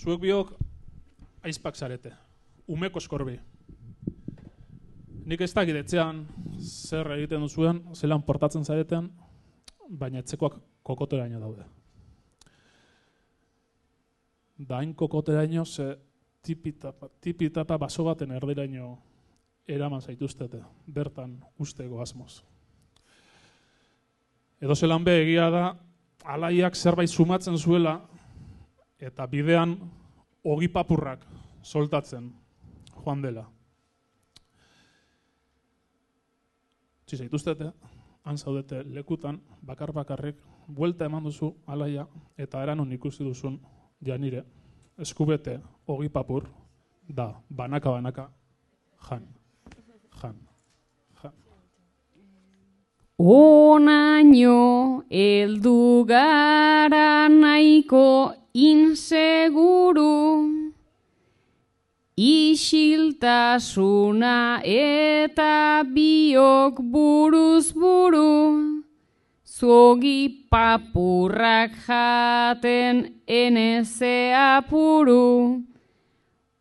Zuek biok aizpak zarete, umeko eskorbi. Nik ez dakit etxean zer egiten duzuen, zelan portatzen zareten, baina etxekoak kokoteraino daude. Da hain kokoteraino ze tipitapa baso baten erdiraino eraman zaituztete, bertan usteko asmoz. Edo zelan be egia da, alaiak zerbait sumatzen zuela, eta bidean ogi papurrak soltatzen joan dela. Utzi zaituztete, han zaudete lekutan, bakar-bakarrik, buelta eman duzu alaia, eta eranon ikusi duzun janire, eskubete ogi papur, da, banaka-banaka, jan. Onaino heldu gara nahiko inseguru, isiltasuna eta biok buruz buru, zuogi papurrak jaten eneze apuru,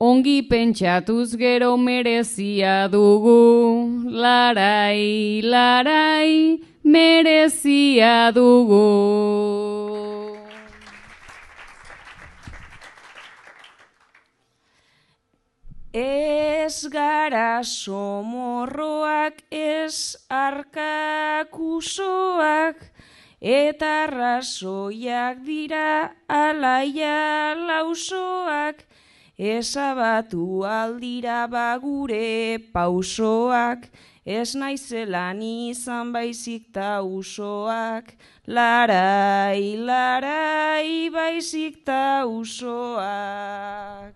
ongi pentsatuz gero merezia dugu, larai, larai, merezia dugu. Ez gara somorroak, ez arkakusoak, eta arrazoiak dira alaia lausoak, ezabatu aldira bagure pausoak, ez naizelan izan baizik ta usoak, larai, larai, baizik ta usoak.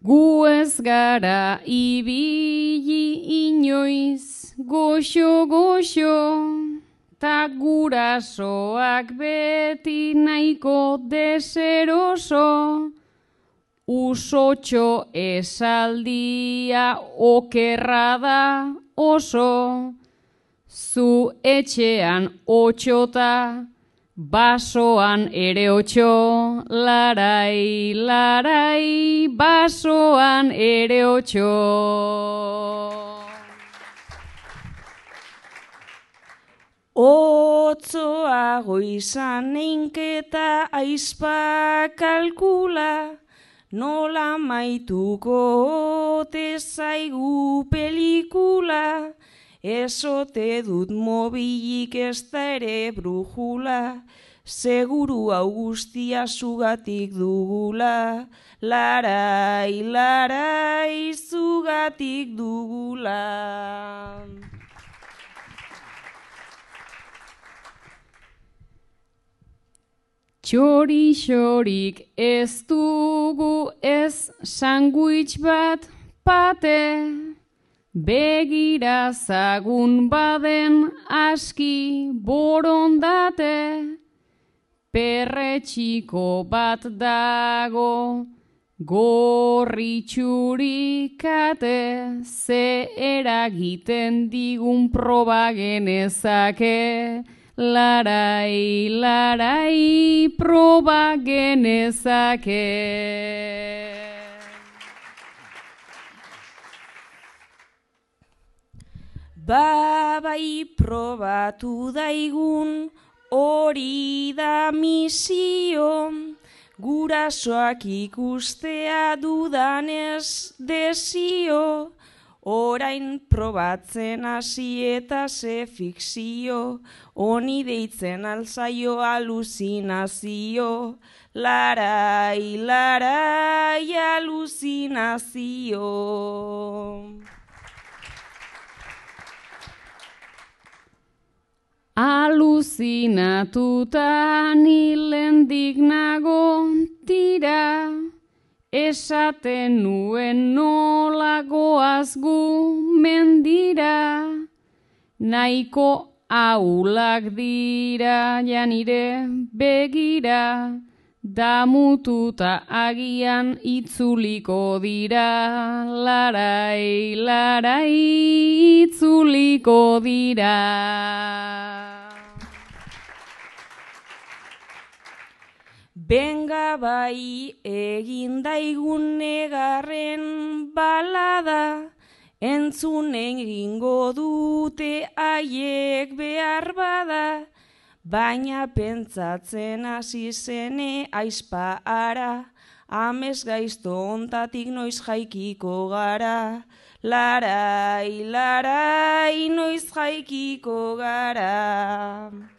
Gu ez gara ibili inoiz goxo-goxo, ta gurasoak beti nahiko deseroso, usotxo esaldia okerra da oso, zu etxean otxota, basoan ere otxo, larai, larai, basoan ere otxo. Otzoago izan einketa aizpa kalkula, nola maituko ote zaigu pelikula, ezote dut mobilik ez da ere brujula, seguru hau guztia zugatik dugula, larai, larai, zugatik dugula. Txori-xorik ez dugu ez sandwich bat pate, begira zagun baden aski borondate, perretxiko bat dago gorritxurikate, ze eragiten digun proba genezake, larai, larai, proba genezake. Bai probatu daigun hori da misio, gurasoak ikustea dudanez desio, orain probatzen hasi eta ze fikzio, honi deitzen alzaio aluzinazio, larai, larai, aluzinazio. Aluzinatuta nilendik nago tira, esaten nuen nola goaz gu mendira, nahiko ahulak dira janire begira, damututa agian itzuliko dira, larai, larai, itzuliko dira. Benga bai egin daigun negarren balada, entzunen egingo dute haiek behar bada, baina pentsatzen hasi zene aizpa ara, amez gaizto ontatik noiz jaikiko gara. Larai, larai, noiz jaikiko gara.